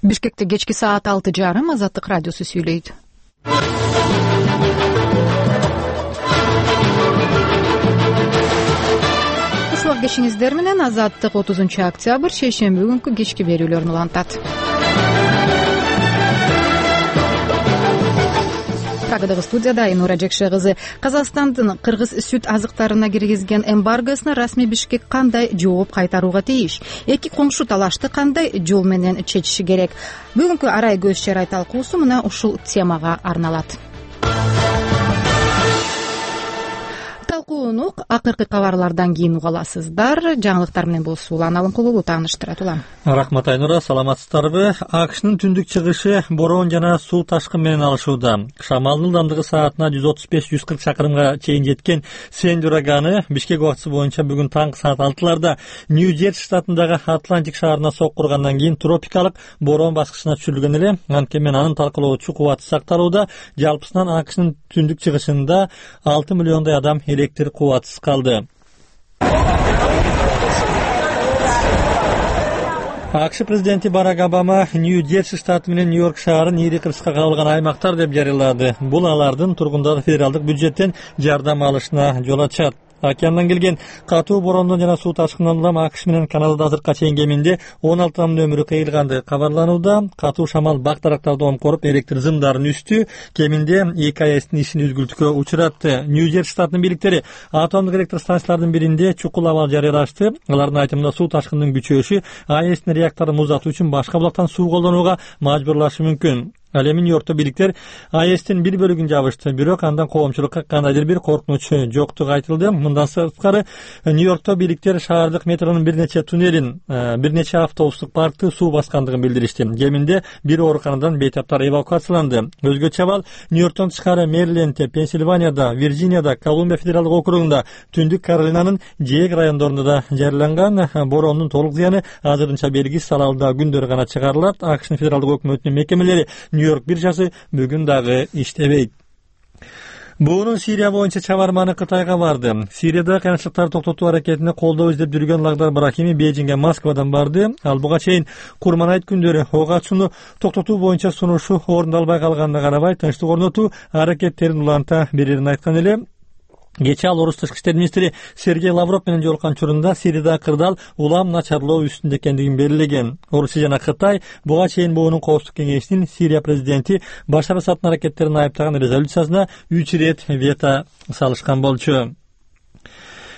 Бишкекте кечки саат 6:30 Азаттык радиосу сүйлөйт. Ысылык кешиңиздер менен Азаттык 30-октябрь шейшемби күнкү кечки берүүлөрүн улантат. Прагадагы студияда Айнура Жекше кызы. Казакстандын кыргыз сүт азыктарына киргизген эмбаргосуна расмий Бишкек кандай жооп кайтарууга тийиш? Эки коңшу талашты кандай жол менен чечиши керек? Бүгүнкү арай көз чарай талкуусу мына ушул темага арналат. Талкууну акыркы кабарлардан кийин уга аласыздар. Жаңылыктар менен болсу Улан Алымкулуу тааныштырат. Улан. Рахмат Айнура, саламатсыздарбы? АКШнын түндүк чыгышы бороон жана суу ташкын менен алышууда. Шамалдын ылдамдыгы саатына 135-140 чакырымга чейин жеткен Сэнди ураганы Бишкек убактысы боюнча бүгүн таңкы саат 6-ларда Нью-Джерси штатындагы Атлантик шаарына соккургандан кийин тропикалык бороон баскычына түшүрүлгөн эле. Анткени анын талкалоочу кубаты сакталууда. Жалпысынан АКШнын түндүк чыгышында 6 миллиондой адам электр кубатысыз калды. АКШ президенти Барак Обама Нью-Джерси штаты менен Нью-Йорк шаарын ири кырсыкка кабылган аймактар деп жарыялады. Бул алардын тургундары федералдык бюджеттен жардам алышына жол ачат. Океандан келген катуу бороондон жана суу ташкынынан улам АКШ менен Канадада азыркыга чейин кеминде 16 адамдын өмүрү кыйылганды кабарланууда. Катуу шамал бак дарактарды омкоруп, электр зымдарын үстү. Кеминде 2 АЭСтин ишин үзгүлтүккө учуратты. Нью-Джерси штатынын бийликтери атомдук электр станциялардын биринде чукул абал жарыялашты. Алардын айтымында суу ташкынынын күчөшү АЭСтин реакторун музатуу үчүн башка булактан суу колдонууга мажбурлашы мүмкүн. Ал эми Нью-Йоркто бийликтер АЭСтин бир бөлүгүн жабышты, бирок андан коомчулукка кандайдыр бир коркунуч жоктугу айтылды. Мындан сырткары Нью-Йоркто бийликтер шаардык метронун бир нече туннелин, бир нече автобустук паркты суу баскандыгын билдиришти. Кеминде бир ооруканадан бейтаптар эвакуацияланды. Өзгөчө абал Нью-Йорктон тышкары Мэрилендте, Пенсильванияда, Вирджинияда, Колумбия федералдык округунда, Түндүк Каролинанын Жээг райондорунда да жарыяланган. Бороондун толук зыяны азырынча белгисиз, алда күндөр гана чыгарылат. АКШнын федералдык өкмөтүнүн мекемелери Нью-Йорк биржасы бүгүн дагы иштебейт. Буунун Сирия боюнча чабарманы Кытайга барды. Сирияда кыйынчылыктарды токтотуу аракетине колдоо издеп жүргөн Лагдар Брахими Бейжиңге Москвадан барды. Ал буга чейин Курманайт күндөрү ок ачууну токтотуу боюнча сунушу орундалбай калганына карабай тынчтык орнотуу аракеттерин уланта берерин айткан эле. Кечээ ал орус тышкы иштер министри Сергей Лавров менен жолуккан учурунда Сирияда кырдаал улам начарлоо үстүндө экендигин белгилеген. Орусия жана Кытай буга чейин буунун коопсуздук кеңешинин Сирия президенти Башар Асаддын аракеттерин айыптаган резолюциясына 3 ирет вето салышкан болчу.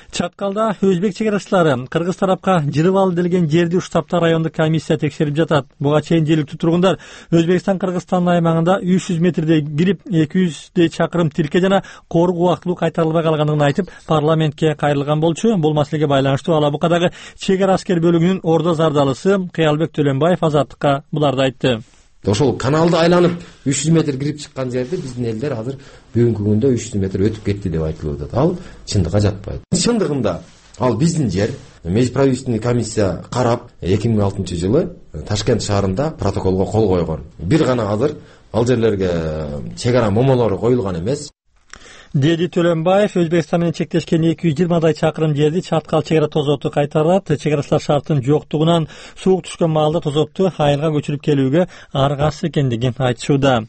Чаткалда өзбек чегарачылары кыргыз тарапка жырып алды делген жерди уштапта райондук комиссия текшерип жатат. Буга чейин жергиликтүү тургундар Өзбекстан-Кыргызстан аймагында 300 метрдей кирип 200 чакырым тирке жана корuk убактылуу кайтарылбай калгандыгын айтып парламентке кайрылган болчу. Бул маселеге байланыштуу Алабукадагы чегара аскер бөлүгүнүн ордо зардалысы Кыялбек Төлөнбаев Азаттыкка буларды айтты. Ошол каналды айланып 300 метр кирип чыккан жерде биздин элдер азыр бүгүнкү күндө 300 метр өтүп кетти деп айтылып атат. Ал чындыкка жатпайт. Чындыгында ал биздин жер. Межправительственный комиссия карап 2006-жылы Ташкент шаарында протоколго кол койгон. Бир гана азыр ал жерлерге чегара момолору коюлган эмес. Деди Төлөнбаев Өзбекстан менен чектешкен 220 чакырым жерди Чаткал чегара тозоту кайтарат. Чегарачылар шарттын жоктугунан суук түшкөн маалда тозотту айылга көчүрүп келүүгө аргасыз экендигин айтышууда.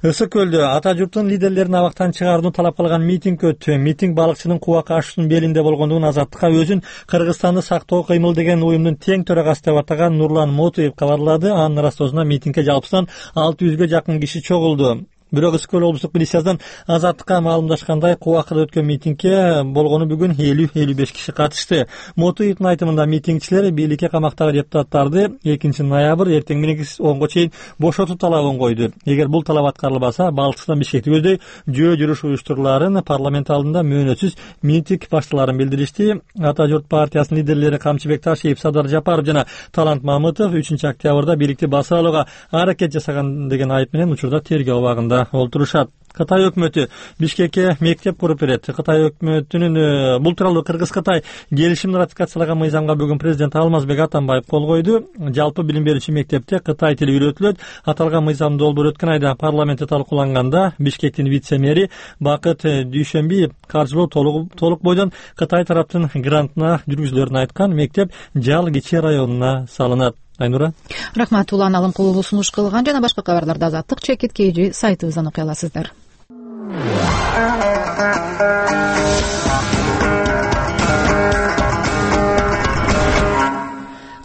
Ысык көлдө ата журттун лидерлерин абактан чыгарууну талап кылган митинг өттү. Митинг балыкчынын Кубак ашуунун белинде болгондугун Азаттыкка өзүн Кыргызстанды сактоо кыймыл деген уюмдун тең төрагасы деп атаган Нурлан Мотуев кабарлады. Анын ырастоосуна митингге жалпысынан 600га жакын киши чогулду. Бирок Ысык-Көл облустук милициясынан Азаттыкка маалымдашкандай Кубакта өткөн митингге болгону бүгүн 50-55 киши катышты. Мотуевдин айтымында митингчилер бийликке камактагы депутаттарды 2 ноябрь эртең мененки 10го чейин бошотуу талабын койду. Эгер бул талап аткарылбаса, Балчыктан Бишкекти көздөй жөө жүрүш уюштуруларын парламент алдында мөөнөтсүз митинг башталарын билдиришти. Ата журт партиясынын лидерлери Камчыбек Ташиев, Садар Жапаров жана Талант Мамытов 3-октябрда бийликти басып алууга аракет жасаган деген айып менен учурда тергөө абагында олтурушат. Кытай өкмөтү Бишкекке мектеп куруп берет. Кытай өкмөтүнүн бул тууралуу Кыргыз-Кытай келишимин ратификациялаган мыйзамга бүгүн президент Алмазбек Атамбаев кол койду. Жалпы билим берүүчү мектепте Кытай тили үйрөтүлөт. Аталган мыйзам долбоор өткөн айда парламентте талкууланганда Бишкектин вице-мэри Бакыт Дүйшөнбиев каржылоо толук бойдон Кытай тараптын грантына жүргүзүлөрүн айткан. Мектеп Жал Кичи районуна салынат. Айнура. Рахмат. Улан Алымкулуу сунуш кылган жана башка кабарларды Азаттык чекит KG сайтыбыздан окуй аласыздар.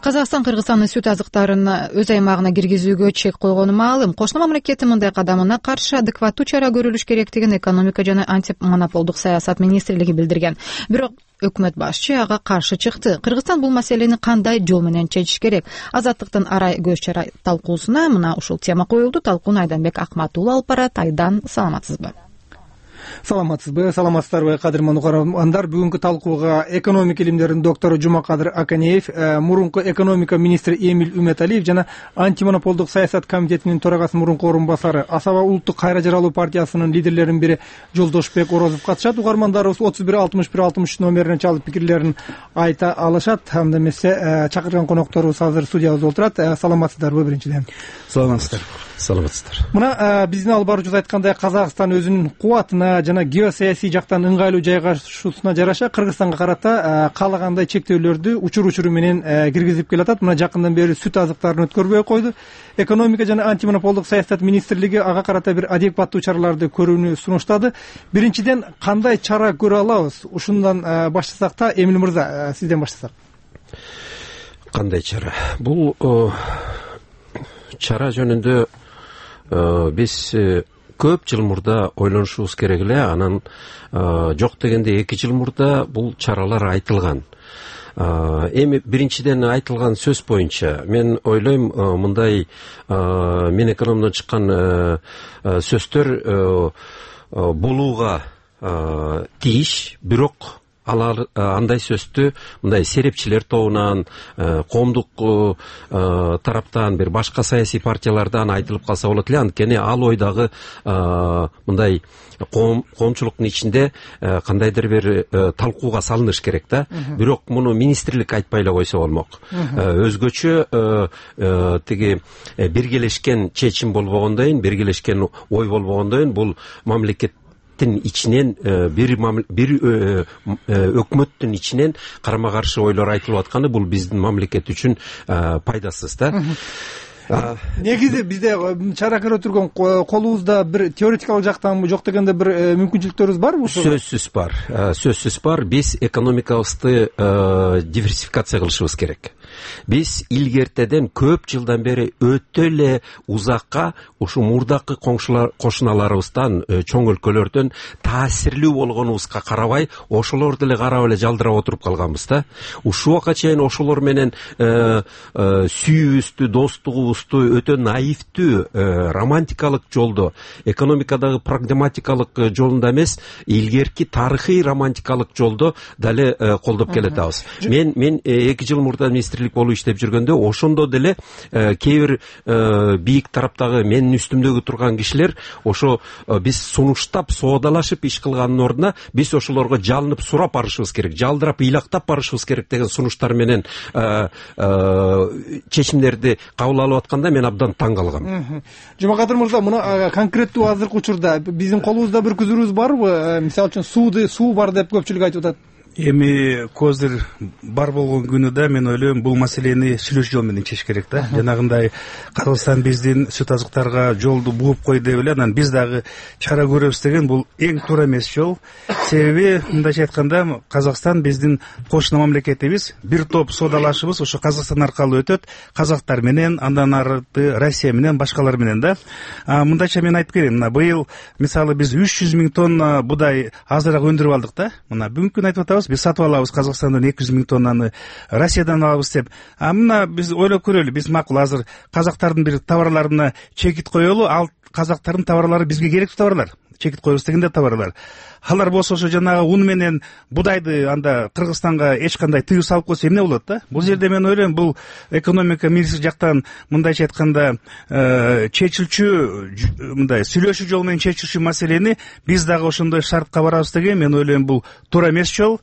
Казакстан Кыргызстандын сүт азыктарын өз аймагына киргизүүгө чек койгону маалым. Кошуна мамлекеттин мындай кадамына каршы адекваттуу чара көрүлүш керектигин экономика жана антимонополдук саясат министрлиги билдирген. Бирок өкмөт башчы ага каршы чыкты. Кыргызстан бул маселени кандай жол менен чечиш керек? Азаттыктын арай көз чара талкуусуна мына ушул тема коюлду. Талкууну Айданбек Акматуулу алып барат. Айдан, саламатсызбы? Саламатсыздарбы, кадырман угармандар. Бүгүнкү талкууга экономика илимдеринин доктору Жумакадыр Аканеев, мурунку экономика министри Эмиль Үмөталиев жана антимонополдук саясат комитетинин төрагасынын мурунку орун басары Асаба улуттук кайра жаралуу партиясынын лидерлеринин бири Жолдошбек Орозов катышат. Угармандарыбыз 31-61-63 номерине чалып пикирлерин айта алышат. Анда эмесе чакырган конокторубуз азыр студиябызда отурат. Саламатсыздарбы биринчиден? Саламатсыздар. Мына биздин алып баруучубуз айткандай, Казакстан өзүнүн кубатына жана геосаясий жактан ыңгайлуу жайгашуусуна жараша Кыргызстанга карата каалагандай чектөөлөрдү учур менен киргизип келатат. Мына жакындан бери сүт азыктарын өткөрбөй койду. Экономика жана антимонополдук саясат министрлиги ага карата бир адекваттуу чараларды көрүүнү сунуштады. Биринчиден, кандай чара көрө алабыз? Ушундан баштасак да, Эмиль мырза, сизден баштасак. Кандай чара? Бул чара жөнүндө биз көп жыл мурда ойлонушубуз керек эле. Анан жок дегенде 2 жыл мурда бул чаралар айтылган. Эми биринчиден айтылган сөз боюнча мен ойлойм, мындай мен экономдон чыккан сөздөр болууга тийиш, бирок андай сөздү мындай серепчилер тобунан, коомдук тараптан, бир башка саясий партиялардан айтылып калса болот эле. Анткени ал ойдагы мындай коомчулуктун ичинде кандайдыр бир талкууга салыныш керек да. Бирок муну министрлик айтпай эле койсо болмок. Өзгөчө тиги биргелешкен чечим болбогондойн, биргелешкен ой болбогондойн бул мамлекет ичинен бир өкмөттүн ичинен карама каршы ойлор айтылып атканы бул биздин мамлекет үчүн пайдасыз да. Негизи бизде чара көрө турган колубузда бир теоретикалык жактан жок дегенде бир мүмкүнчүлүктөрүбүз барбы? Сөзсүз бар. Биз экономикабызды диверсификация кылышыбыз керек. Биз илгертеден көп жылдан бери өтө эле узакка ушу мурдакы кошуналарыбыздан, чоң өлкөлөрдөн таасирлүү болгонубузга карабай, ошолорду эле карап эле жалдырап отуруп калганбыз да. Ушул убакка чейин ошолор менен сүйүүбүздү, достугубузду өтө наивдүү, романтикалык жолдо, экономикадагы прагматикалык жолунда эмес, илгерки тарыхый романтикалык жолдо дале колдоп келатабыз. Мен 2 жыл мурда министрлик болуп иштеп жүргөндө ошондо деле кээ бир бийик тараптагы менин үстүмдөгү турган кишилер ошо биз сунуштап, соодалашып иш кылгандын ордуна биз ошолорго жалынып сурап барышыбыз керек, жалдырап ыйлактап барышыбыз керек деген сунуштар менен чечимдерди кабыл алып атканда мен абдан таң калгам. Жумакадыр мырза, мына конкреттүү азыркы учурда биздин колубузда бир күзүрүбүз барбы? Мисалы үчүн суу бар деп көпчүлүк айтып атат. Эми көздөр бар болгон күнү да мен ойлойм бул маселени сүйлөшүү жол менен чечиш керек да. Жанагындай Кыргызстан биздин сүт азыктарга жолду бугуп кой деп эле анан биз дагы чара көрөбүз деген бул эң туура эмес жол. Себеби мындайча айтканда Казакстан биздин кошуна мамлекетибиз, бир топ соодалашыбыз ошо Казакстан аркылуу өтөт, казактар менен, андан арты Россия менен, башкалар менен да. Мындайча мен айтып берейин, мына быйыл мисалы биз 300 000 тонна будай азыраак өндүрүп алдык да. Мына бүгүнкү күнү айтып атабыз, биз сатып алабыз Казакстандан 200 000 тоннаны, Россиядан алабыз деп. Мына биз ойлоп көрөлү, биз макул азыр казактардын бир товарларына чекит коелу, ал казактардын товарлары бизге керектүү товарлар. Чекит коебуз дегенде товарлар. Алар болсо ошо жанагы ун менен будайды анда Кыргызстанга эч кандай тыюу салып койсо эмне болот да? Бул жерде мен ойлойм, бул экономика министри жактан мындайча айтканда чечилчү, мындай сүйлөшүү жол менен чечилчү маселени биз дагы ошондой шартка барабыз деген мен ойлойм бул туура эмес жол.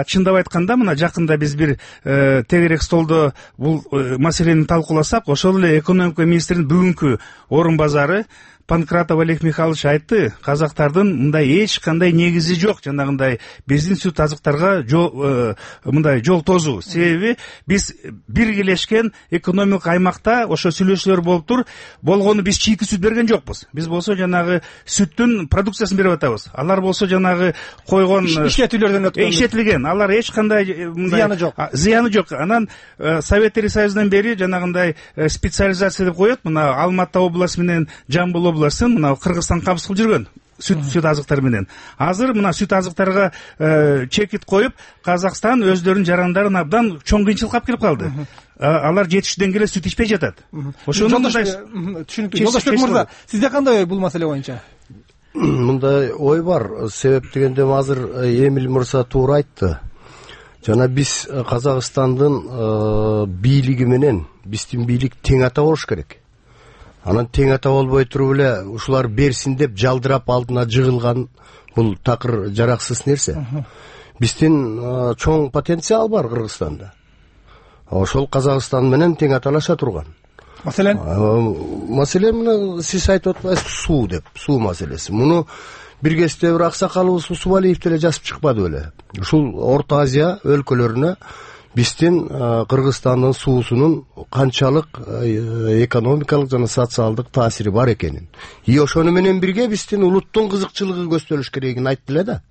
Чындап айтканда мына жакында биз бир тегерек столдо бул маселени талкууласак, ошол эле экономика министринин бүгүнкү орун базары Панкратов Олег Михайлович айтты, казактардын мындай эч кандай негизи жок жанагындай биздин сүт азыктарга мындай жол тосуу. Себеби биз биргелешкен экономикалык аймакта ошо сүйлөшүүлөр болуптур. Болгону биз чийки сүт берген жокпуз. Биз болсо жанагы сүттүн продукциясын берип атабыз. Алар болсо жанагы койгон иштетүүлөрдөн өткөн, иштетилген. Алар эч кандай зыяны жок. Анан Советтер Союзунан бери жанагындай специализация деп коет. Мына Алматы областы менен Жамбыл областын мына Кыргызстан кабыз кылып жүргөн сүт азыктары менен. Азыр мына сүт азыктарга чекит коюп, Казакстан өздөрүнүн жарандарын абдан чоң кыйынчылыкка алып келип калды. Алар жетиштүү деңгээлде сүт ичпей жатат. Ошону түшүнүктүү. Жолдошбек мырза, сизде кандай ой бул маселе боюнча? Мындай ой бар. Себеп дегенде азыр Эмил мырза туура айтты. Жана биз Казакстандын бийлиги менен биздин бийлик тең ата болуш керек. Анан тең ата болбой туруп эле ушулар берсин деп жалдырап алдына жыгылган бул такыр жараксыз нерсе. Биздин чоң потенциал бар Кыргызстанда. Ошол Казакстан менен тең аталаша турган. Маселен мына сиз айтып атпайсызбы, суу деп, суу маселеси. Муну бир кезде бир аксакалыбыз Усубалиев деле жазып чыкпады беле. Ушул Орто Азия өлкөлөрүнө биздин Кыргызстандын суусунун канчалык экономикалык жана социалдык таасири бар экенин. И ошону менен бирге биздин улуттун кызыкчылыгы көзтөлүш керегин айтты эле да.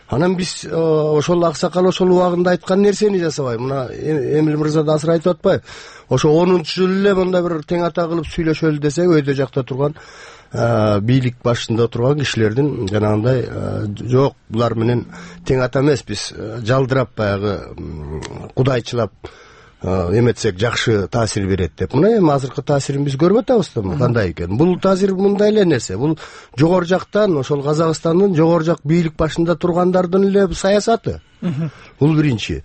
Анан биз ошол аксакал ошол убагында айткан нерсени жасабай, мына Эмил мырза да азыр айтып атпайбы? Ошо 10-жыл эле мындай бир тең ата кылып сүйлөшөлү десек, өйдө жакта турган бийлик башында турган кишилердин жанагындай жок, булар менен тең ата эмес, биз жалдырап баягы кудайчылап эметсек жакшы таасир берет деп. Мына эми азыркы таасирин биз көрүп атабыз да, кандай экен. Бул таасир мындай эле нерсе. Бул жогору жактан, ошол Казакстандын жогору жак бийлик башында тургандардын эле саясаты. Бул биринчи.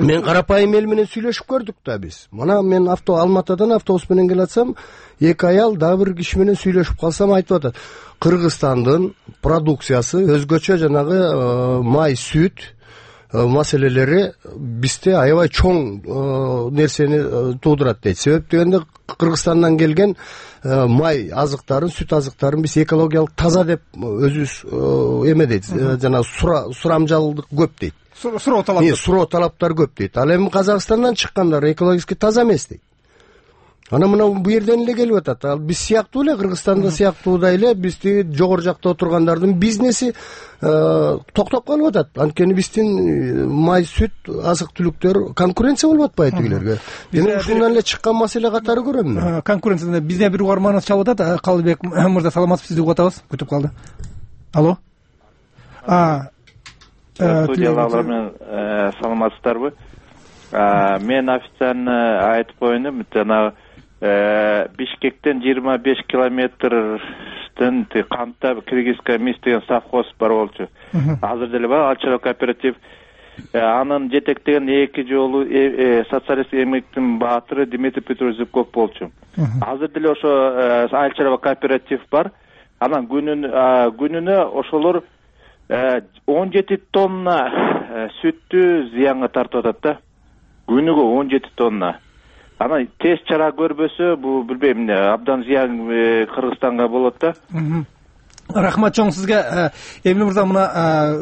Мен карапайым эл менен сүйлөшүп көрдүк да биз. Мына мен Алматыдан автобус менен келатсам, эки аял дагы бир киши менен сүйлөшүп калсам айтып атат. Кыргызстандын продукциясы өзгөчө жанагы май, сүт маселелери бизде аябай чоң нерсени туудурат дейт. Себеп дегенде Кыргызстандан келген май азыктарын, сүт азыктарын биз экологиялык таза деп өзүбүз эме дейт, жана сурамжалдык көп дейт. Суроо талаптар көп дейт. Ал эми Казакстандан чыккандар экологически таза эмес дейт. Ана мына бу жерден эле келип атат. Ал биз сыяктуу эле Кыргызстанда сыяктуудай эле бизди жогору жакта отургандардын бизнеси токтоп калып атат. Анткени биздин май, сүт, азык-түлүктөр конкуренция болуп атпайбы тигилерге. Мен ушундан эле чыккан маселе катары көрөм. Конкуренцияда бизде бир угарманыбыз чалып атат. Калыбек мырза, саламатсызбы, сизди угуп атабыз. Күтүп калды. Алло. Студиялар менен саламатсыздарбы? Мен официально айтып коеюн, жанагы Бишкектен 25 километрден Камта Кыргызская мис деген совхоз бар болчу. Азыр деле бар, Алчара кооператив. Анын жетектеген эки жолу социалист эмгектин баатыры Дмитрий Петрович Зубков болчу. Азыр деле ошо Алчара кооператив бар. Анан күнүнө ошолор 17 тонна сүттү зыянга тартып атат да. Күнүгө 17 тонна. Анан тез чара көрбөсө, бул билбейм, абдан зыян Кыргызстанга болот да. Рахмат чоң сизге. Эмил мырза, мына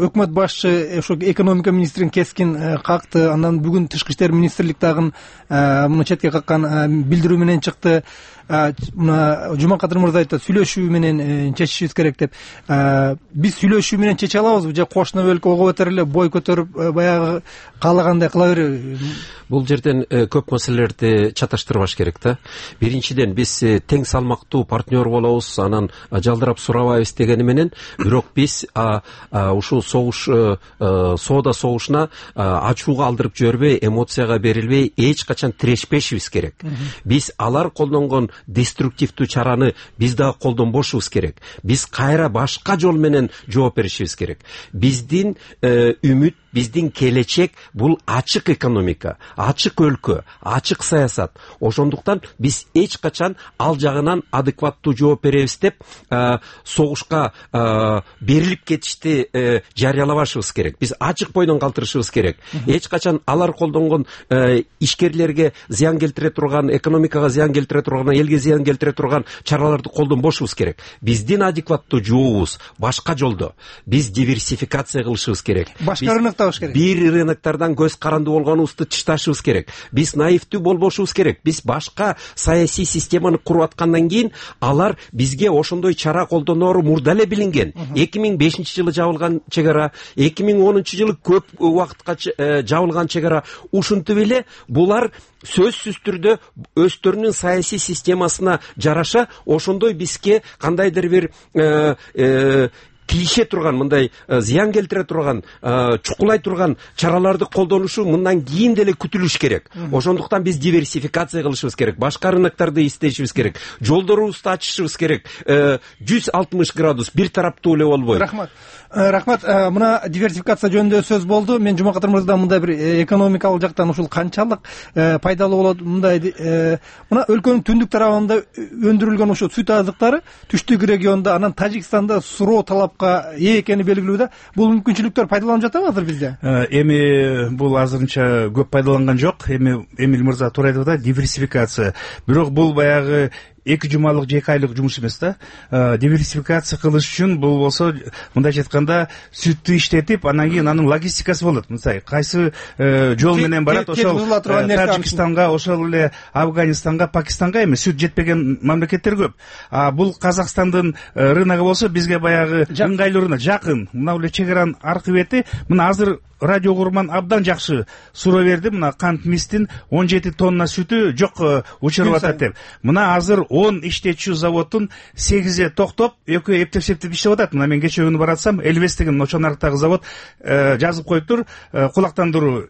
өкмөт башчы ошо экономика министрин кескин какты. Андан бүгүн Тышкы иштер министрлик дагы муну четке каккан билдирүү менен чыкты. Мына Жумакадыр мырза айтты, сүйлөшүү менен чечишибиз керек деп. Биз сүйлөшүү менен чече алабызбы же кошуна өлкө ого бетер эле бой көтөрүп баягы каалагандай кыла береби? Бул жерден көп маселелерди чаташтырбаш керек да. Биринчиден биз тең салмактуу партнер болобуз, анан жалдырап сурабайбыз дегени менен, бирок биз ушул согуш, соода согушуна ачууга алдырып жибербей, эмоцияга берилбей, эч качан тирешпешибиз керек. Биз алар колдонгон деструктивдүү чараны биз дагы колдонбошубуз керек. Биз кайра башка жол менен жооп беришибиз керек. Биздин үмүт биздин келечек бул ачык экономика, ачык өлкө, ачык саясат. Ошондуктан биз эч качан ал жагынан адекваттуу жооп беребиз деп согушка берилип кетишти жарыялабашыбыз керек. Биз ачык бойдон калтырышыбыз керек. Эч качан алар колдонгон ишкерлерге зыян келтире турган, экономикага зыян келтире турган, элге зыян келтире турган чараларды колдонбошубуз керек. Биздин адекваттуу жообубуз башка жолдо. Биз диверсификация кылышыбыз керек. Башка рыноктабыш керек. Бир рыноктардан көз каранды болгонубузду тышташыбыз керек. Биз наивдүү болбошубуз керек. Биз башка саясий системаны куруп аткандан кийин алар бизге ошондой чара колдоноору мурда эле билинген. 2005-жылы жабылган чек ара, 2010-жылы көп убакытка жабылган чек ара. Ушинтип эле булар сөзсүз түрдө өздөрүнүн саясий системасына жараша ошондой бизге кандайдыр бир тийише турган, мындай зыян келтире турган, чукулай турган чараларды колдонушу мындан кийин деле күтүлүш керек. Ошондуктан биз диверсификация кылышыбыз керек, башка рыноктарды издешибиз керек, жолдорубузду ачышыбыз керек. 160 градус бир тараптуу эле болбойт. Рахмат. Мына диверсификация жөнүндө сөз болду. Мен Жумакадыр мырза мындай бир экономикалык жактан ушул канчалык пайдалуу болот мындай мына өлкөнүн түндүк тарабында өндүрүлгөн ошо сүт азыктары түштүк региондо, анан Тажикстанда суроо талапка ээ экени белгилүү да. Бул мүмкүнчүлүктөр пайдаланып жатабы азыр бизде? Эми бул азырынча көп пайдаланган жок. Эми Эмиль мырза туура айтып атат, диверсификация. Бирок бул баягы 2 жумалык же 2 айлык жумуш эмес да. Диверсификация кылыш үчүн бул болсо мындайча айтканда сүттү иштетип, анан кийин анын логистикасы болот. Мисалы, кайсы жол менен барат, ошол Тажикстанга, ошол эле Афганистанга, Пакистанга эми сүт жетпеген мамлекеттер көп. Бул Казакстандын рыногу болсо бизге баягы ыңгайлуу рынок, жакын. Мына эле чек аранын аркы бети. Мына азыр радио курман абдан жакшы суроо берди. Мына кант мистин 17 тонна сүтү жок учуруп атат деп. Мына азыр 10 иштетчү заводдун 8 токтоп, экөө эптеп иштеп атат. Мына мен кече күнү баратсам, Элбес деген Ночонарктагы завод жазып коюптур, кулактандыруу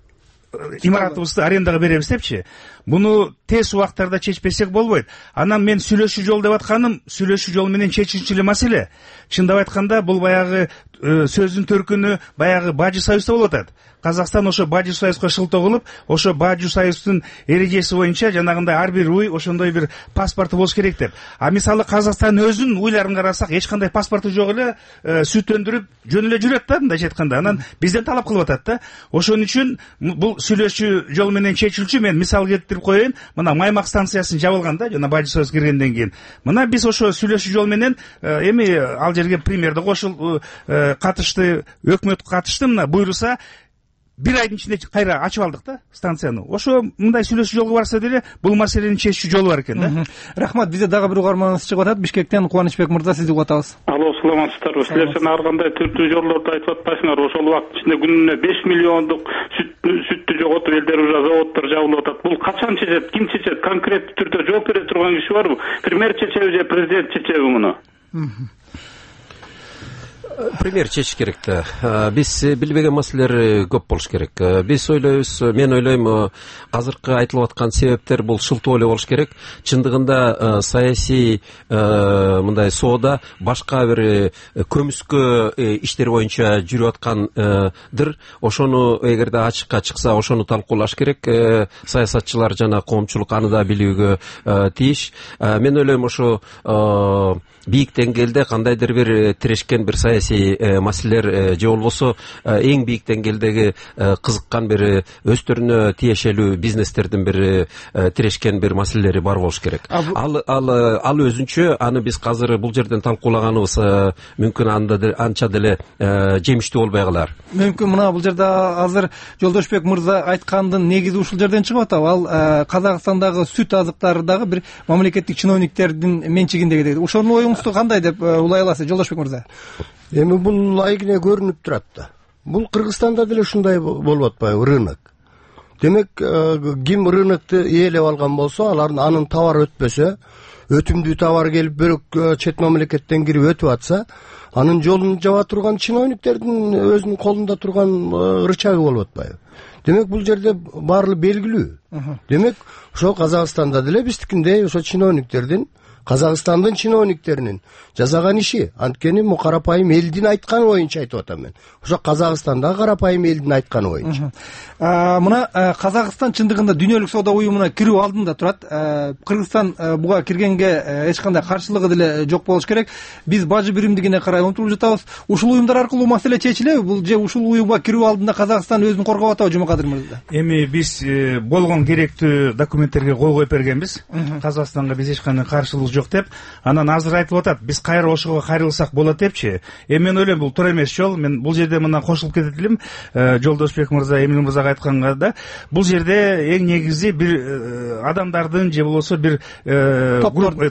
имаратыбызды арендага беребиз депчи. Буну тез убактарда чечпесек болбойт. Анан мен сүйлөшүү жол деп атканым, сүйлөшүү жол менен чечилчү эле маселе. Чындап айтканда, бул баягы сөздүн төркүнү баягы Бажы союзда болуп атат. Казакстан ошо Бажы союзга шылтоо кылып, ошо Бажы союздун эрежеси боюнча жанагындай ар бир уй ошондой бир паспорту болуш керек деп. Мисалы Казакстан өзүнүн уйларын карасак, эч кандай паспорту жок эле сүт өндүрүп жөн эле жүрөт да, мындайча айтканда. Анан бизден талап кылып атат да. Ошон үчүн бул сүйлөшүү жол менен чечилчү. Мен мисал келтирип коеюн. Мына Маймак станциясын жабылган да, жана Бажы союз киргенден кийин. Мына биз ошо сүйлөшүү жол менен эми ал жерге примерде катышты, өкмөт катышты, мына буйруса бир айдын ичинде кайра ачып алдык да станцияны. Ошо мындай сүйлөшүү жолго барса деле бул маселени чечүү жолу бар экен да. Рахмат. Бизде дагы бир угарманыбыз чыгып атат. Бишкектен Кубанычбек мырза, сизди угуп атабыз. Алло, саламатсыздарбы? Силер сен ар кандай түрдүү жолдорду айтып атпайсыңар? Ошол убакыт ичинде күнүнө 5 миллиондук сүттү жоготуп элдер уже заводдор жабылып атат. Бул качан чечет? Ким чечет? Конкреттүү түрдө жооп бере турган киши барбы? Премьер чечеби же президент чечеби муну? Премьер чечиш керек да. Биз билбеген маселелер көп болуш керек. Биз ойлойбуз, мен ойлойм, азыркы айтылып аткан себептер бул шылтоо эле болуш керек. Чындыгында саясий мындай соода башка бир көмүскө иштер боюнча жүрүп аткандыр. Ошону эгерде ачыкка чыкса, ошону талкуулаш керек. Саясатчылар жана коомчулук аны да билүүгө тийиш. Мен ойлойм, ошо бийик деңгээлде кандайдыр бир тирешкен бир саясий маселелер же болбосо эң бийик деңгээлдеги кызыккан бир өздөрүнө тиешелүү бизнестердин бир тирешкен бир маселелери бар болуш керек. Ал өзүнчө, аны биз азыр бул жерден талкуулаганыбыз мүмкүн анча деле жемиштүү болбой калар. Мүмкүн мына бул жерде азыр Жолдошбек мырза айткандын негизи ушул жерден чыгып атабы? Ал Казакстандагы сүт азыктары дагы бир мамлекеттик чиновниктердин менчигинде деди. Ошонун оюңузду кандай деп улай аласыз, Жолдошбек мырза? Эми бул айгине көрүнүп турат да. Бул Кыргызстанда деле ушундай болуп атпайбы, рынок. Демек, ким рынокту ээлеп алган болсо, анын товары өтпөсө, өтүмдүү товар келип бирок чет мамлекеттен кирип өтүп атса, анын жолун жаба турган чиновниктердин өзүнүн колунда турган рычагы болуп атпайбы. Демек, бул жерде баары белгилүү. Демек, ошо Казакстанда деле биздикиндей ошо чиновниктердин Казакстандын чиновниктеринин жасаган иши. Анткени му карапайым элдин айтканы боюнча айтып атам мен. Ошо Казакстандагы карапайым элдин айтканы боюнча. Мына Казакстан чындыгында Дүйнөлүк соода уюмуна кирүү алдында турат. Кыргызстан буга киргенге эч кандай каршылыгы деле жок болуш керек. Биз бажы биримдигине карай умтулуп жатабыз. Ушул уюмдар аркылуу маселе чечилеби? Бул же ушул уюмга кирүү алдында Казакстан өзүн коргоп атабы, Жумакадыр мырза? Эми биз болгон керектүү документтерге кол коюп бергенбиз. Казакстанга биз эч кандай каршылык жок деп. Анан азыр айтылып атат, биз кайра ошого кайрылсак болот депчи. Мен ойлойм, бул туура эмес жол. Мен бул жерде мына кошулуп кетет элем. Жолдошбек мырза, Эмил мырзага айтканга да, бул жерде эң негизи бир адамдардын же болбосо бир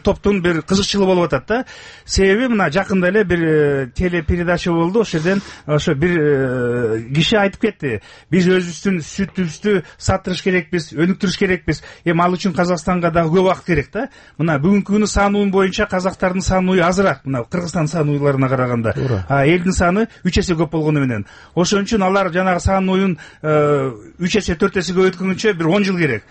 топтун бир кызыкчылыгы болуп атат да. Себеби мына жакында эле бир телепередача болду. Ошол жерден ошо бир киши айтып кетти. Биз өзүбүздүн сүтүбүздү сатырыш керекпиз, өнүктүрүш керекпиз. Эми ал үчүн Казакстанга дагы көп убакыт керек да. Мына бүгүнкү күнү сан уюм боюнча казактардын сан уюу азыраак, мына Кыргызстан сан уюуларына караганда. Элдин саны 3 эсе көп болгону менен. Ошон үчүн алар жанагы сан уюун 3 эсе 4 эсе өткөнгөнчө бир 10 жыл керек.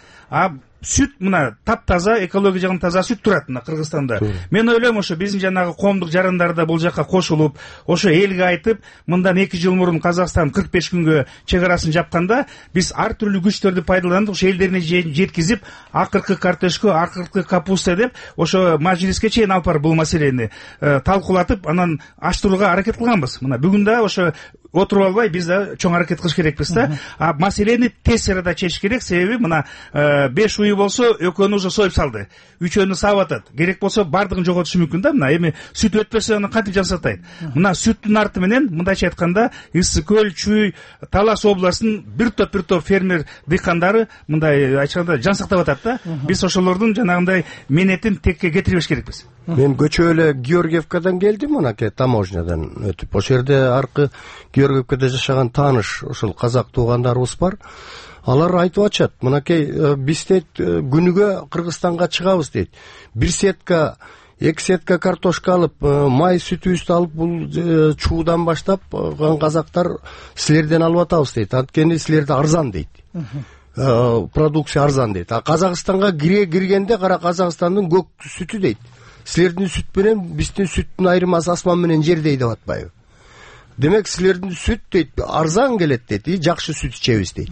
Сүт мына таптаза, экология жагынан таза сүт турат мына Кыргызстанда. Мен ойлойм, ошо биздин жанагы коомдук жарандар да бул жака кошулуп, ошо элге айтып, мындан 2 жыл мурун Казакстан 45 күнгө чек арасын жапканда, биз ар түрдүү күчтөрдү пайдаланып, ошо элдерине жеткизип, акыркы картошка, акыркы капуста деп, ошо мажлиске чейин алып барып бул маселени талкуулатып, анан ачтырууга аракет кылганбыз. Мына бүгүн да ошо отуруп албай биз да чоң аракет кылыш керекпиз да. Маселени тез арада чечиш керек, себеби мына 5 уюу болсо экөөнү уже союп салды. Үчөөнү саап атат. Керек болсо бардыгын жоготушу мүмкүн да. Мына эми сүт өтпөсө аны кантип жасатайт? Мына сүттүн арты менен мындайча айтканда Ысык көл, Чүй, Талас областынын бир топ фермер дыйкандары мындай айтканда жан сактап атат да. Биз ошолордун жанагындай менетин текке кетирбеш керекпиз. Мен көчө эле Георгиевкадан келдим, мынакей таможнядан өтүп. Ошол жерде аркы Георгиевкада жашаган тааныш ошол казак туугандарыбыз бар. Алар айтып атышат, мынакей биз дейт күнүгө Кыргызстанга чыгабыз дейт. 1 сетка, 2 сетка картошка алып, май сүтүбүздү алып, бул чуудан баштап казактар силерден алып атабыз дейт. Анткени силерде арзан дейт. Продукция арзан дейт. Казакстанга киргенде кара Казакстандын көк сүтү дейт. Силердин сүт менен биздин сүттүн айырмасы асман менен жердей деп атпайбы? Демек силердин сүт дейт арзан келет дейт, жакшы сүт ичебиз дейт.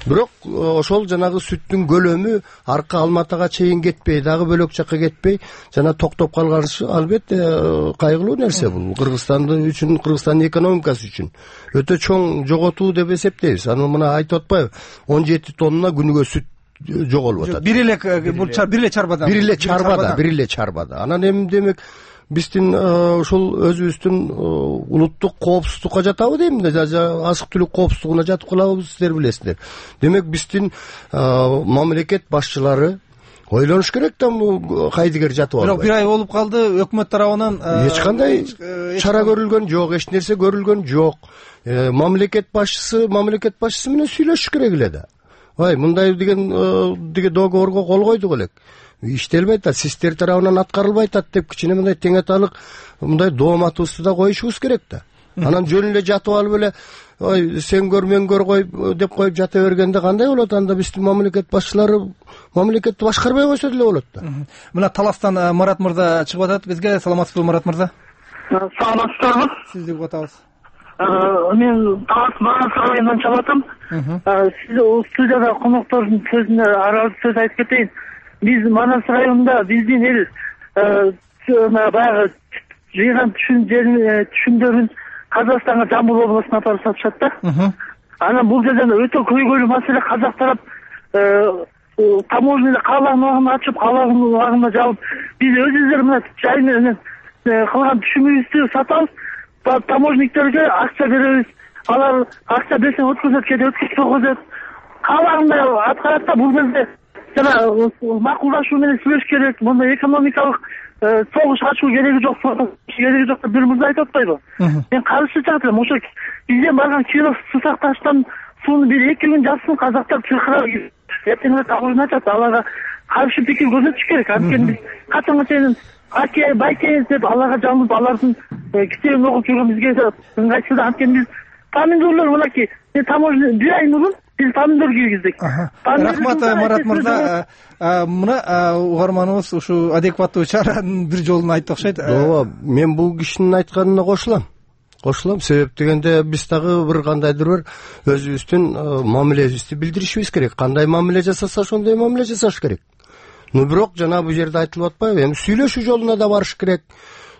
Бирок ошол жанагы сүттүн көлөмү арка Алматыга чейин кетпей, дагы бөлөк жакка кетпей, жана токтоп калганы албетте кайгылуу нерсе бул. Кыргызстандын үчүн, Кыргызстандын экономикасы үчүн өтө чоң жоготуу деп эсептейбиз. Аны мына айтып атпайбы? 17 тонна күнүгө сүт жоголуп атат. Бир эле чарбада. Анан эми демек биздин ушул өзүбүздүн улуттук коопсуздукка жатабы дейм да, азык түлүк коопсуздугуна жатып калабыз, сиздер билесиздер. Демек биздин мамлекет башчылары ойлонуш керек да, кайдыгер жатып албай. Бирок 1 ай болуп калды, өкмөт тарабынан эч кандай чара көрүлгөн жок, эч нерсе көрүлгөн жок. Мамлекет башчысы менен сүйлөшүш керек эле да. Мындай деген договорго кол койдук элек. Иштелбей атат, систер тарабынан аткарылбай атат деп кичине мындай тең аталык мындай дооматыбызды да коюшубуз керек да. Анан жөн эле жатып алып эле сен көр мен көр деп коюп жата бергенде кандай болот? Анда биздин мамлекет башчылары мамлекетти башкарбай койсо деле болот да. Мына Таластан Марат мырза чыгып атат бизге. Саламатсызбы, Марат мырза? Саламатсыздарбы? Сизди угуп атабыз. Мен Талас Марат районунан чыгып атам. Сиз студияда коноктордун сөзүнө аралашып сөз айтып кетейин. Биз Манас районунда биздин эл баягы жыйган түшүмдөрүн Казакстанга, Жамбыл областына апарып сатышат да. Анан бул жерден өтө көйгөйлүү маселе. Казак тарап таможняда каалаган убагында ачып, каалаган убагында жабып, биз өзүбүздөр мына жай менен кылган түшүмүбүздү сатабыз, таможниктерге акча беребиз. Алар акча берсе өткөзөт, кээде өткөзүп койгозот. Каалагандай аткарат да. Бул жерде жана макулдашуу менен сүйлөш керек. Мындай экономикалык согуш ачуу кереги жок, деп бир мырза айтып атпайбы? Мен каршы чыгат элем. Ошо бизден барган Киров сусакташтан сууну бир 2 күн жатсын, казактар чыркырап эртең эле таможня ачат. Аларга каршы пикир көрсөтүш керек. Анткени биз качанга чейин аке байке деп аларга жалынып, алардын китебин окуп жүргөн бизге ыңгайсыз да. Анткени биз помидорлор мынакей таможня 1 ай мурун биз помидор кийгиздик. Рахмат Марат мырза. Мына угарманыбыз ушу адекваттуу чаранын бир жолун айтты окшойт. Ооба, мен бул кишинин айтканына кошулам. Себеп дегенде биз дагы бир кандайдыр бир өзүбүздүн мамилебизди билдиришибиз керек. Кандай мамиле жасаса ошондой мамиле жасаш керек. Бирок жана бул жерде айтылып атпайбы, эми сүйлөшүү жолуна да барыш керек.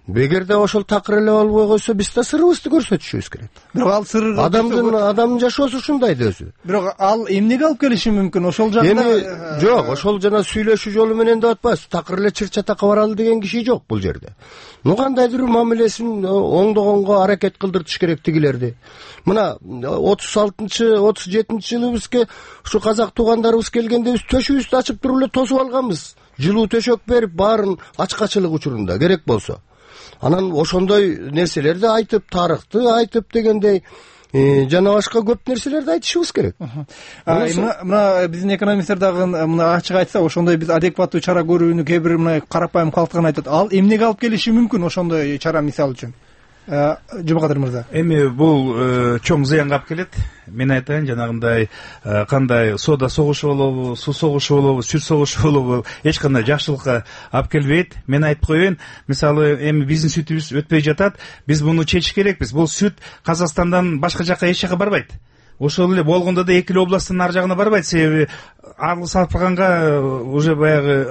Эгерде ошол такыр эле болбой койсо, биз да сырыбызды көрсөтүшүбүз керек. Бирок ал сыр адамдын жашоосу ушундай да өзү. Бирок ал эмнеге алып келиши мүмкүн? Ошол жакта жок, ошол жана сүйлөшүү жолу менен деп атпайбыз. Такыр эле чыр-чатакка баралы деген киши жок бул жерде. Кандайдыр мамилесин оңдогонго аракет кылдыртыш керек тигилерди. Мына 36-37-жылыбызга ушу казак туугандарыбыз келгенде биз төшүбүздү ачып туруп эле тосуп алганбыз. Жылуу төшөк берип, баарын ачкачылык учурунда керек болсо. Анан ошондой нерселерди айтып, тарыхты айтып дегендей жана башка көп нерселерди айтышыбыз керек. Мына биздин экономисттер дагы мына ачык айтса, ошондой биз адекваттуу чара көрүүнү кээ бир мына карапайым калктыгын айтат. Ал эмнеге алып келиши мүмкүн ошондой чара мисалы үчүн? Жумакадыр мырза. Эми бул чоң зыянга алып келет. Мен айтайын, жанагындай кандай соода согушу болобу, суу согушу болобу, сүт согушу болобу, эч кандай жакшылыкка алып келбейт. Мен айтып коеюн, мисалы эми биздин сүтүбүз өтпөй жатат, биз муну чечиш керекпиз. Бул сүт Казакстандан башка жакка эч жака барбайт. Ошол эле болгондо да эки эле областтын ар жагына барбайт, себеби арлы сапырганга уже баягы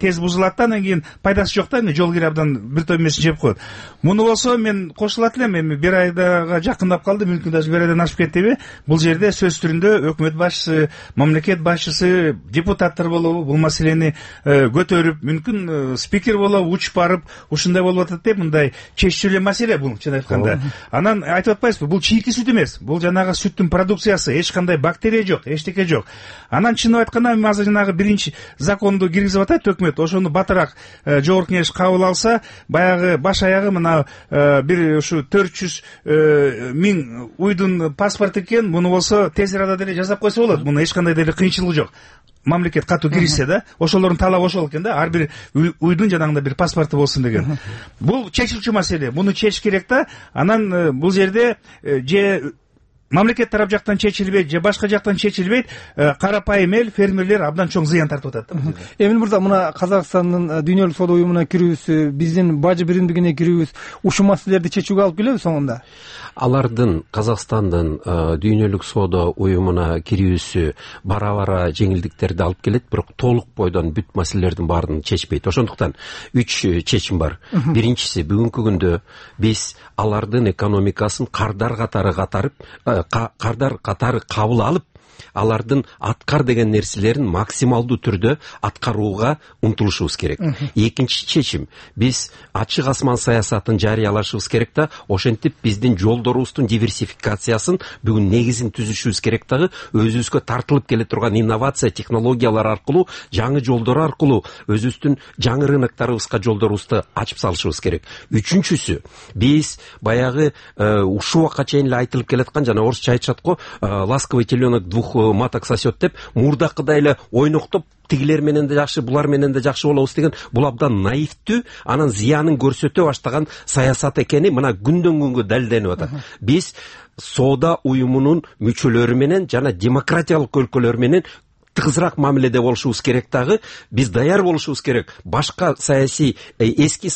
тез бузулат да, анан кийин пайдасы жок да, эми жол кире абдан бир той эмесин жеп коет. Муну болсо мен кошулат элем, эми бир айдага жакындап калды, мүмкүн даже бир айдан ашып кеттиби. Бул жерде сөз түрүндө өкмөт башчысы, мамлекет башчысы, депутаттар болобу бул маселени көтөрүп, мүмкүн спикер болобу учуп барып, ушундай болуп атат деп мындай чечүүчү маселе бул, чын айтканда. Анан айтып атпайсызбы, бул чийки сүт эмес, бул жанагы сүттүн продукциясы, эч кандай бактерия жок, эчтеке жок. Анан чынын айтканда азыр жанагы биринчи законду киргизип атат өкмөт. Ошону батыраак жогорку кеңеш кабыл алса, баягы баш аягы мына бир ушу 400 миң уйдун паспорту экен, муну болсо тез арада деле жасап койсо болот. Муну эч кандай деле кыйынчылыгы жок. Мамлекет катуу киришсе да, ошолордун талабы ошол экен да, ар бир уйдун жанагындай бир паспорту болсун деген. Бул чечилчү маселе. Муну чечиш керек да. Анан бул жерде же мамлекет тарап жактан чечилбейт, же башка жактан чечилбейт, карапайым эл, фермерлер абдан чоң зыян тартып атат да. Эмил мырза, мына Казакстандын дүйнөлүк соода уюмуна кирүүсү, биздин бажы биримдигине кирүүбүз ушул маселелерди чечүүгө алып келеби соңунда? Алардын Казакстандын дүйнөлүк соода уюмуна кирүүсү бара-бара жеңилдиктерди алып келет, бирок толук бойдон бүт маселелердин баарын чечпейт. Ошондуктан 3 чечим бар. Биринчиси, бүгүнкү күндө биз алардын экономикасын кардар катары кабыл алып, алардын аткар деген нерселерин максималдуу түрдө аткарууга умтулушубуз керек. Экинчи чечим, биз ачык асман саясатын жарыялашыбыз керек да, ошентип биздин жолдорубуздун диверсификациясын бүгүн негизин түзүшүбүз керек дагы, өзүбүзгө тартылып келе турган инновация технологиялар аркылуу, жаңы жолдор аркылуу өзүбүздүн жаңы рыноктарыбызга жолдорубузду ачып салышыбыз керек. Үчүнчүсү, биз баягы ушул убакка чейин эле айтылып келаткан, жана орусча айтышат го, ласковый теленок двух маток сосет деп, мурдакыдай эле ойноктоп тигилер менен да жакшы, булар менен да жакшы болобуз деген, бул абдан наивдүү, анан зыянын көрсөтө баштаган саясат экени мына күндөн күнгө далилденип атат. Биз соода уюмунун мүчөлөрү менен жана демократиялык өлкөлөр менен тыгызыраак мамиледе болушубуз керек дагы, биз даяр болушубуз керек. Башка саясий эски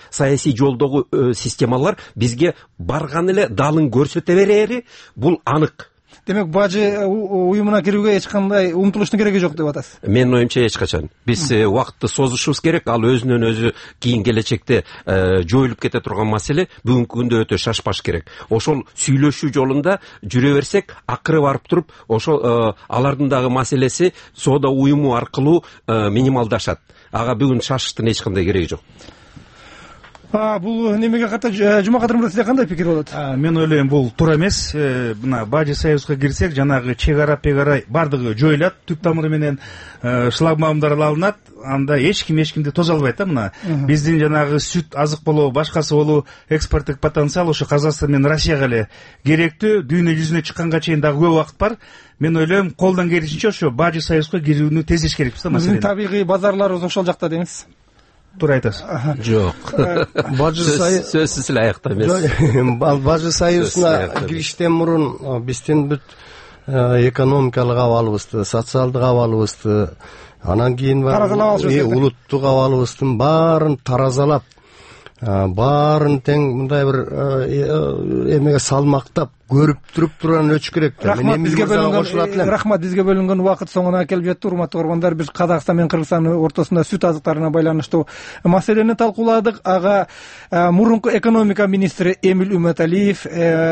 саясий жолдогу системалар бизге барган эле далын көрсөтө берери бул анык. Демек, бажы уюмуна кирүүгө эч кандай умтулуштун кереги жок деп атасыз. Менин оюмча эч качан. Биз убакытты созушубуз керек. Ал өзүнөн өзү кийин келечекте жоюлуп кете турган маселе, бүгүнкү күндө өтө шашпаш керек. Ошол сүйлөшүү жолунда жүрө берсек, акыры барып туруп, ошол алардын дагы маселеси соода уюму аркылуу минималдашат. Ага бүгүн шашыштын эч кандай кереги жок. Бул немеге ката Жумакадыр мырза, сизде кандай пикир болот? Мен ойлойм, бул туура эмес. Мына бажы союзга кирсек, жанагы чек-ара пегара бардыгы жоюлат, түп тамыры менен шлагбаумдар алынат, анда эчкимди тоза албайт да. Мына биздин жанагы сүт, азык болобу, башкасы болобу, экспорттук потенциал ошо Казакстан менен Россияга эле керектүү. Дүйнө жүзүнө чыкканга чейин дагы көп убакыт бар. Мен ойлойм, колдон келишинче ошо бажы союзга кирүүнү тездетиш керекпиз да маселени. Биздин табигый базарларыбыз ошол жакта демексиз? Туура айтасыз. Жок. Сөзсүз эле аякта эмес. Бажы союзуна кириштен мурун биздин бүт экономикалык абалыбызды, социалдык абалыбызды, анан кийин улуттук абалыбыздын баарын таразалап, баарын тең мындай бир эмеге салмактап көрүп туруп турган өчүш керек да. Рахмат, бизге бөлүнгөн убакыт соңуна келип жетти. Урматтуу көрөрмандар, биз Казакстан менен Кыргызстан ортосунда сүт азыктарына байланыштуу маселени талкууладык. Ага мурунку экономика министри Эмил Үмөталиев,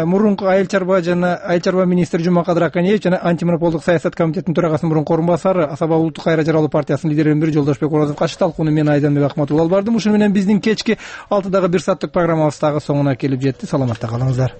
мурунку айыл чарба министри Жумакадыр Аканеев жана антимонополдук саясат комитетинин төрагасынын мурунку орун басары Асаба улуттук кайра жаралуу партиясынын лидеринин бири Жолдошбек Оразов катышты. Талкууну мен Айданбек Акматулла алып бардым. Ушуну менен биздин кечки 6-дагы 1 сааттык программабыз дагы соңуна келип жетти. Саламатта калыңыздар.